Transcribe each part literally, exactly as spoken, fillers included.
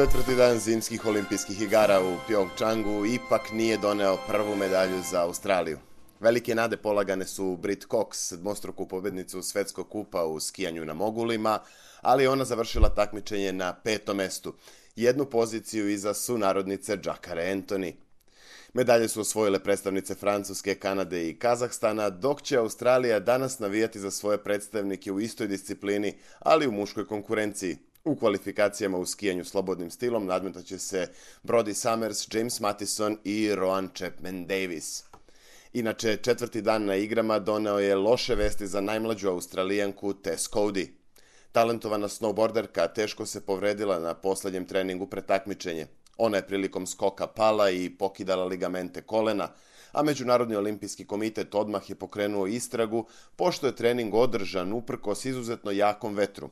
Četvrti dan zimskih olimpijskih igara u Pjongčangu ipak nije doneo prvu medalju za Australiju. Velike nade polagane su Brit Cox, dvostruku pobednicu svetskog kupa u skijanju na mogulima, ali ona završila takmičenje na petom mestu, jednu poziciju iza sunarodnice Jacare Anthony. Medalje su osvojile predstavnice Francuske, Kanade i Kazahstana, dok će Australija danas navijati za svoje predstavnike u istoj disciplini, ali u muškoj konkurenciji. U kvalifikacijama u skijanju slobodnim stilom nadmetaće se Brodie Summers, James Mattison i Rohan Chapman-Davis. Inače, četvrti dan na igrama doneo je loše vesti za najmlađu Australijanku Tess Coady. Talentovana snowboarderka teško se povredila na poslednjem treningu pred takmičenje. Ona je prilikom skoka pala i pokidala ligamente kolena, a Međunarodni olimpijski komitet odmah je pokrenuo istragu, pošto je trening održan uprkos izuzetno jakom vetru.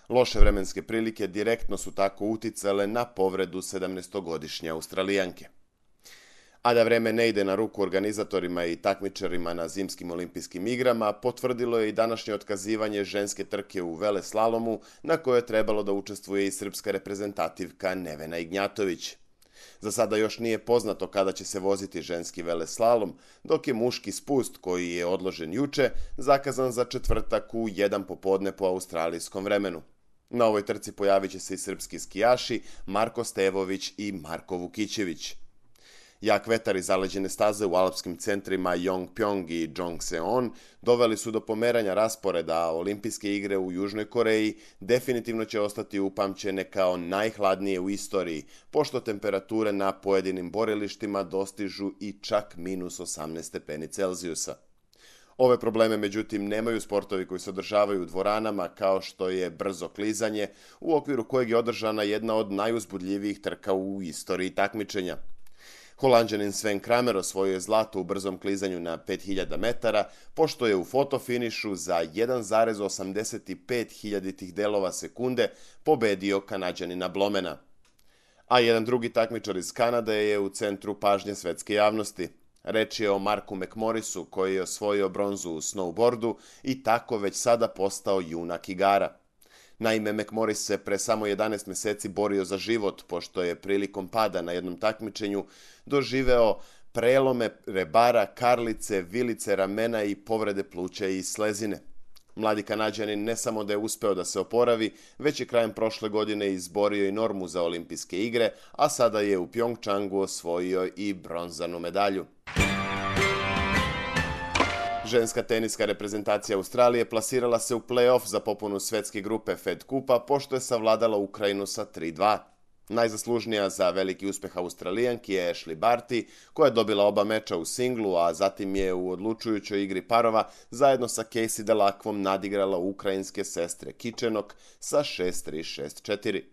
Loše vremenske prilike direktno su tako uticale na povredu sedamnaestogodišnje Australijanke. A da vreme ne ide na ruku organizatorima i takmičarima na zimskim olimpijskim igrama, potvrdilo je i današnje otkazivanje ženske trke u veleslalomu, na kojoj je trebalo da učestvuje i srpska reprezentativka Nevena Ignjatović. Za sada još nije poznato kada će se voziti ženski veleslalom, dok je muški spust, koji je odložen juče, zakazan za četvrtak u jedan popodne po australijskom vremenu. Na ovoj trci pojavit će se i srpski skijaši Marko Stevović i Marko Vukićević. Jak vetar i zaleđene staze u alpskim centrima Yongpyong i Jongseon doveli su do pomeranja rasporeda, a olimpijske igre u Južnoj Koreji definitivno će ostati upamćene kao najhladnije u istoriji, pošto temperature na pojedinim borilištima dostižu i čak minus osamnaest stepeni Celzijusa. Ove probleme, međutim, nemaju sportovi koji se održavaju u dvoranama, kao što je brzo klizanje, u okviru kojeg je održana jedna od najuzbudljivijih trka u istoriji takmičenja. Holanđanin Sven Kramer osvojio je zlato u brzom klizanju na pet hiljada metara, pošto je u fotofinišu za jedan zarez osamdeset pet hiljaditih delova sekunde pobedio Kanađanina Blomena. A jedan drugi takmičar iz Kanade je u centru pažnje svetske javnosti. Reč je o Marku McMorrisu, koji je osvojio bronzu u snowboardu i tako već sada postao junak igara. Naime, McMorris se pre samo jedanaest meseci borio za život, pošto je prilikom pada na jednom takmičenju doživeo prelome rebara, karlice, vilice ramena i povrede pluća i slezine. Mladi Kanađanin ne samo da je uspeo da se oporavi, već je krajem prošle godine izborio i normu za olimpijske igre, a sada je u Pjongčangu osvojio i bronzanu medalju. Ženska teniska reprezentacija Australije plasirala se u play-off za popunu svetske grupe Fed Kupa, pošto je savladala Ukrajinu sa tri dva. Najzaslužnija za veliki uspeh Australijanki je Ashleigh Barty, koja je dobila oba meča u singlu, a zatim je u odlučujućoj igri parova zajedno sa Casey Delacqvom nadigrala ukrajinske sestre Kičenok sa šest tri šest četiri.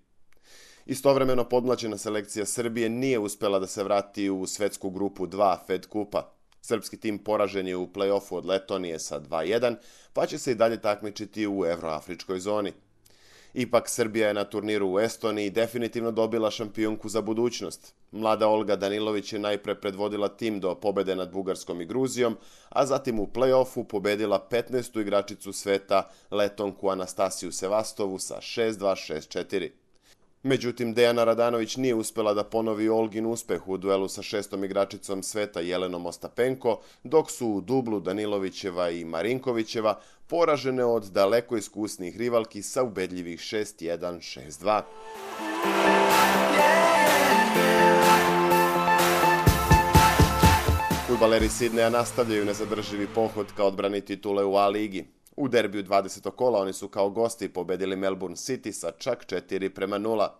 Istovremeno podmlađena selekcija Srbije nije uspela da se vrati u svetsku grupu dva Fed Kupa. Srpski tim poražen je u play-offu od Letonije sa dva jedan, pa će se i dalje takmičiti u evroafričkoj zoni. Ipak, Srbija je na turniru u Estoniji definitivno dobila šampionku za budućnost. Mlada Olga Danilović je najpre predvodila tim do pobede nad Bugarskom i Gruzijom, a zatim u play-offu pobedila petnaestu igračicu sveta Letonku Anastasiju Sevastovu sa šest dva šest četiri. Međutim, Dejana Radanović nije uspela da ponovi Olgin uspeh u duelu sa šestom igračicom sveta Jelenom Ostapenko, dok su u dublu Danilovićeva i Marinkovićeva poražene od daleko iskusnijih rivalki sa ubedljivih šest jedan šest dva. Fudbaleri Sidneja nastavljaju nezadrživi pohod ka odbrani titule u A-ligi. U derbiju dvadesetog kola oni su kao gosti pobedili Melbourne City sa čak četiri prema nula.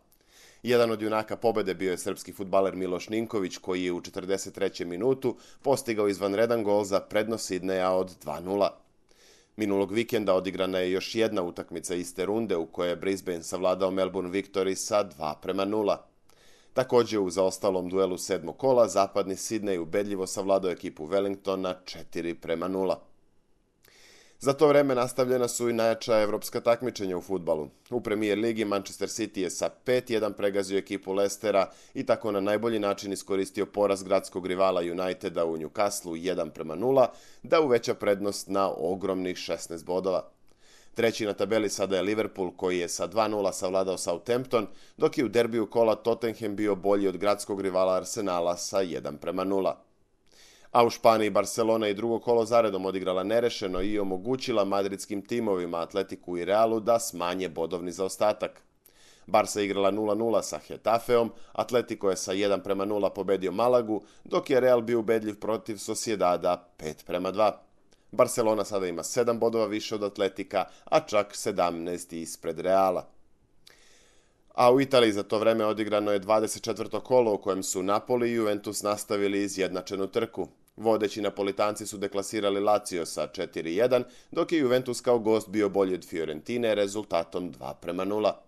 Jedan od junaka pobede bio je srpski fudbaler Miloš Ninković, koji je u četrdeset trećem minutu postigao izvanredan gol za prednost Sidneja od dva nula. Minulog vikenda odigrana je još jedna utakmica iste runde u kojoj je Brisbane savladao Melbourne Victory sa dva prema nula. Također u zaostalom duelu sedmog kola zapadni Sidney ubedljivo savladao ekipu Wellingtona četiri prema nula. Za to vreme nastavljena su i najjača evropska takmičenja u fudbalu. U Premier ligi Manchester City je sa pet jedan pregazio ekipu Leicestera i tako na najbolji način iskoristio poraz gradskog rivala Uniteda u Newcastleu jedan prema nula, da uveća prednost na ogromnih šesnaest bodova. Treći na tabeli sada je Liverpool koji je sa dva nula savladao Southampton, dok je u derbiju kola Tottenham bio bolji od gradskog rivala Arsenala sa jedan prema nula. A u Španiji Barcelona i drugo kolo zaredom odigrala nerešeno i omogućila madridskim timovima Atletiku i Realu da smanje bodovni zaostatak. Barca igrala nula nula sa Getafeom, Atletico je sa jedan prema nula pobedio Malagu, dok je Real bio ubedljiv protiv Sociedada pet prema dva. Barcelona sada ima sedam bodova više od Atletika, a čak sedamnaest ispred Reala. A u Italiji za to vreme odigrano je dvadeset četvrto kolo u kojem su Napoli i Juventus nastavili izjednačenu trku. Vodeći Napolitanci su deklasirali Lazio sa četiri jedan, dok je Juventus kao gost bio bolji od Fiorentine rezultatom dva prema nula.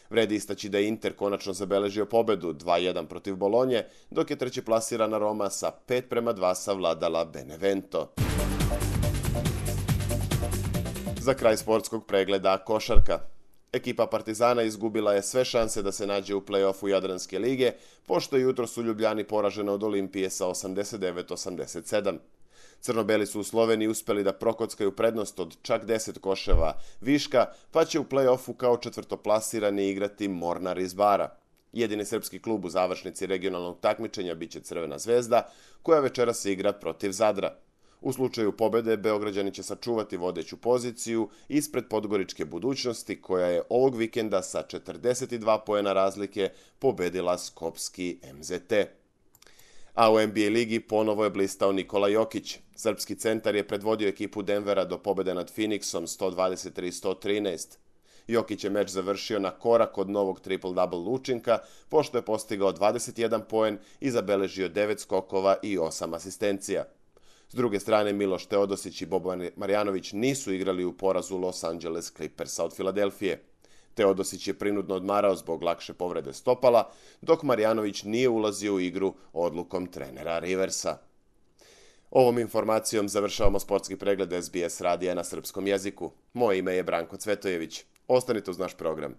Vredi istaći da je Inter konačno zabeležio pobedu dva jedan protiv Bolonje, dok je treći plasirana Roma sa pet prema dva savladala Benevento. Za kraj sportskog pregleda košarka. Ekipa Partizana izgubila je sve šanse da se nađe u play-offu Jadranske lige, pošto je jutros u Ljubljani poražena od Olimpije sa osamdeset devet osamdeset sedam. Crnobeli su u Sloveniji uspeli da prokockaju prednost od čak deset koševa viška, pa će u play-offu kao četvrtoplasirani igrati Mornar iz Bara. Jedini srpski klub u završnici regionalnog takmičenja biće Crvena zvezda, koja večeras igra protiv Zadra. U slučaju pobede, Beograđani će sačuvati vodeću poziciju ispred Podgoričke Budućnosti, koja je ovog vikenda sa četrdeset dva poena razlike pobedila skopski M Z T. A u N B A ligi ponovo je blistao Nikola Jokić. Srpski centar je predvodio ekipu Denvera do pobede nad Phoenixom sto dvadeset tri sto trinaest. Jokić je meč završio na korak od novog triple-double učinka, pošto je postigao dvadeset jedan poen i zabeležio devet skokova i osam asistencija. S druge strane, Miloš Teodosić i Boban Marjanović nisu igrali u porazu Los Angeles Clippersa od Filadelfije. Teodosić je prinudno odmarao zbog lakše povrede stopala, dok Marjanović nije ulazio u igru odlukom trenera Riversa. Ovom informacijom završavamo sportski pregled S B S radija na srpskom jeziku. Moje ime je Branko Cvetojević. Ostanite uz naš program.